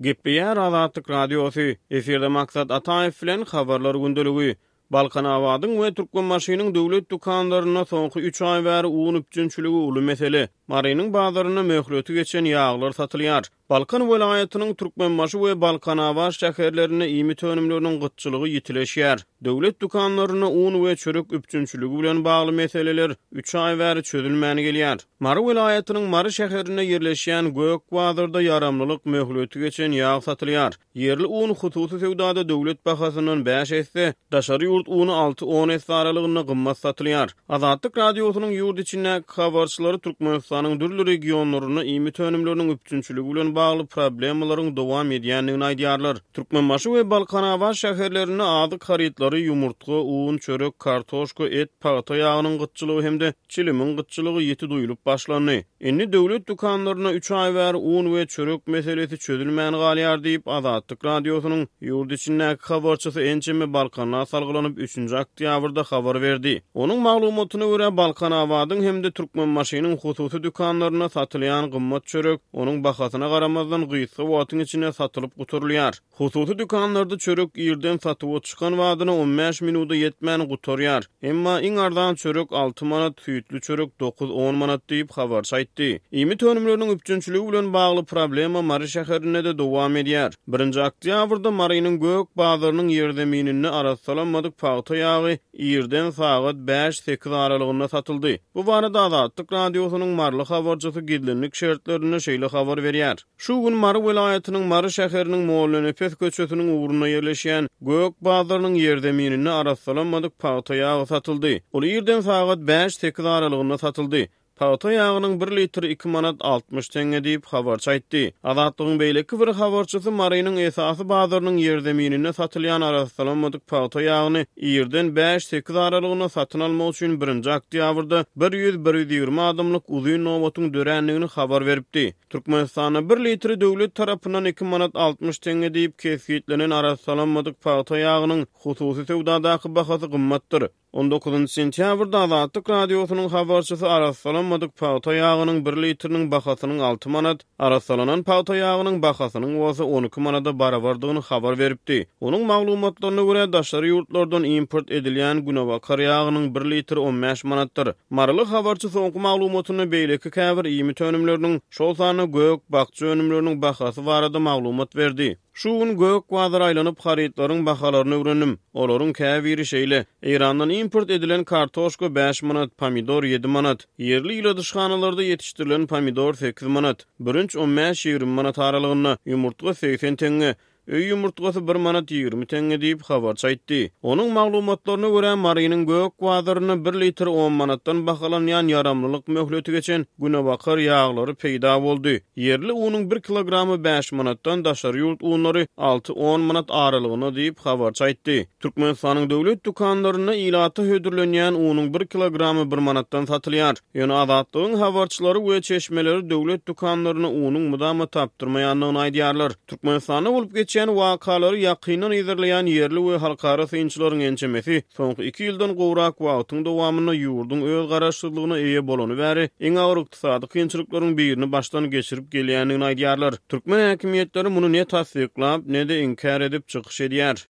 Gepleýär Azatlyk Radiosy, Efirde Maksat Ataýew bilen Habarlar gündeligi. Balkanabadyň we Türkmenbaşynyň döwlet dükanlarynda soňky üç aý bäri un üpjünçiligi uly mesele. Marynyň bazarynda möhleti geçen ýaglar satylýar. Balkan welaýatynyň Türkmenbaşy we Balkanabat şäherlerinde iýmit önümleriniň gytçylygy ýitileşýär. Döwlet dükanlarynda un we çörek üpjünçiligi bilen bagly meseleler üç aý bäri çözülmän gelýär. Mary welaýatynyň Mary şäherinde ýerleşýän Gök bazarda ýaramlylyk möhleti geçen ýag satylýar. Ýerli un hususy söwdada döwlet bahasyndan bäş esse, daşary ýurt uny alty-on esse aralygynda gymmat satylýar. Azatlyk Radiosynyň ýurt içindäki habarçylary Türkmenistanyň dürli regionlarynda iýmit önümleriniň üpjünçiligi bilen bagly problemalaryň dowam edýändigini aýdýarlar. Türkmenbaşy we Balkanabat şäherlerinde azyk harytlary, ýumurtga, un, çörek, kartoşka, et, pagta ýagynyň gytçylygy hem-de çilimiň gytçylygy ýiti duýlup başlandy. Indi döwlet dükanlarynda üç aý bäri un we çörek meselesi çözülmän galýar diýip, Azatlyk Radiosynyň ýurt içindäki habarçysy ençeme balkanla salgylanyp, üçünji oktýabrda habar berdi. Onuň maglumatyna görä, Balkanabadyň hem-de Türkmenbaşynyň hususy dükanlarynda satylýan gymmat çörek, onuň bahasyna garamazdan, gysga wagtyň içinde satylyp gutarylýar. Hususy dükanlarda çörek irden satuwa çykan badyna on bäş minuda ýetmän gutarýar. Emma iň arzan çörek alty manat, süýtli çörek dokuz-on manat diýip, habarçy aýtdy. Iýmit önümleriniň üpjünçiligi bilen bagly problema Mary şäherinde-de dowam edýär. Birinji oktýabrda Marynyň Gök bazarynyň ýerzemininde arassalanmadyk pagta ýagy irden sagat bäş-sekiz aralygynda satyldy. Bu barada Azatlyk Radiosynyň maryly habarçysy gizlinlik şertlerinde şeýle habar berýär. Şu gün Mary welaýatynyň Mary şäheriniň Mollanepes köçesiniň ugrunda ýerleşýän Gök bazarynyň ýerzemininde arassalanmadyk pagta ýagy satyldy. Ol irden sagat bäş-sekiz aralygynda satyldy. Pagta ýagynyň bir litri iki manat 60 teňňe diýip, habarçy aýtdy. Azatlygyň beýleki bir habarçysy Marynyň esasy bazarynyň ýerzemininde satylýan arassalanmadyk pagta ýagyny irden bäş-sekiz aralygynda satyn almak üçin birinji oktýabrda bir ýüz-bir 120 adamlyk uzyn nobatyň dörändigini habar beripdi. Türkmenistanda bir litri döwlet tarapyndan iki manat 60 teňňe diýip kesgitlenen arassalanmadyk pagta ýagynyň hususy söwdadaky bahasy gymmatdyr. On dokuzynjy sentýabrda Azatlyk Radiosynyň habarçysy arassalanmadyk pagta ýagynyň bir litriniň bahasynyň alty manat, arassalanan pagta ýagynyň bahasynyň bolsa on iki manada barabardygyny habar beripdi. Onuň maglumatlaryna görä, daşary ýurtlardan import edilýän günebakar ýagynyň bir litri on bäş manatdyr. Maryly habarçy soňky maglumatynda beýleki käbir iýmit önümleriniň, şol sanda gök-bakja önümleriniň bahasy barada maglumat berdi. Şu gün gök bazara aýlanyp, harytlaryň bahalaryny öwrendim. Olaryň käbiri şeýle, Eýrandan import edilen kartoşka bäş manat, pomidor ýedi manat, ýerli ýyladyşhanalarda ýetişdirilen pomidor sekiz manat, bürünç on bäş-ýigrimi manat aralygynda, ýumurtga segsen teňňe, Öý ýumurtgasy bir manat 20 teňňe diýip, habarçy aýtdy. Onuň maglumatlaryna görä, Marynyň gök bazarynda bir litr on manatdan bahalanýan ýaramlylyk möhleti geçen günebakar ýaglary peýda boldy. Ýerli unuň bir kilogramy bäş manatdan, daşary ýurt unlary alty-on manat aralygynda diýip, habarçy aýtdy. Türkmenistanyň döwlet dükanlarynda ilata hödürlenýän unuň bir kilogramy bir manatdan satylýar. Ýöne Azatlygyň habarçylary we çeşmeleri döwlet dükanlarynda unuň mydama tapdyrmaýandygyny aýdýarlar. Türkmenistanda bolup geçýän wakalary ýakyndan yzarlaýan ýerli we halkara synçylaryň ençemesi soňky iki ýyldan gowrak wagtyň dowamynda ýurduň öz garaşsyzlygyna eýe bolany bäri iň agyr ykdysady kynçylyklaryň birini başdan geçirip gelýändigini aýdýarlar. Türkmen häkimiýetleri muny ne tassyklap, ne-de inkär edip çykyş edýär.